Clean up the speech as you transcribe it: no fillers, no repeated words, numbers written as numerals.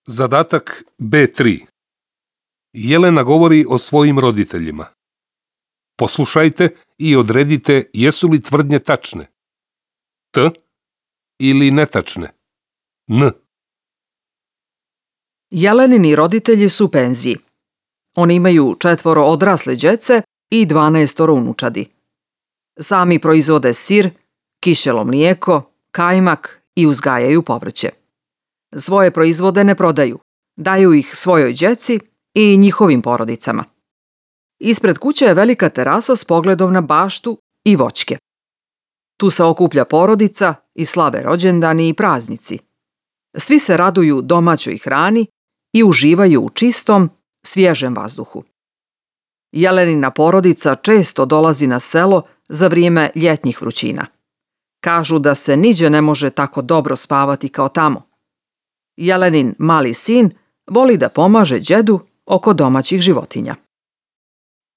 Zadatak B3. Jelena govori o svojim roditeljima. Poslušajte i odredite jesu li tvrdnje tačne. T ili netačne. N. Jelenini roditelji su u penziji. Oni imaju 4 odrasle djece i 12 unučadi. Sami proizvode sir, kiselo mlijeko, kajmak i uzgajaju povrće. Svoje proizvode ne prodaju, daju ih svojoj djeci i njihovim porodicama. Ispred kuće je velika terasa s pogledom na baštu i voćke. Tu se okuplja porodica i slave rođendani i praznici. Svi se raduju domaćoj hrani i uživaju u čistom, svježem vazduhu. Jelenina porodica često dolazi na selo za vrijeme ljetnjih vrućina. Kažu da se niđe ne može tako dobro spavati kao tamo. Jelenin mali sin voli da pomaže djedu oko domaćih životinja.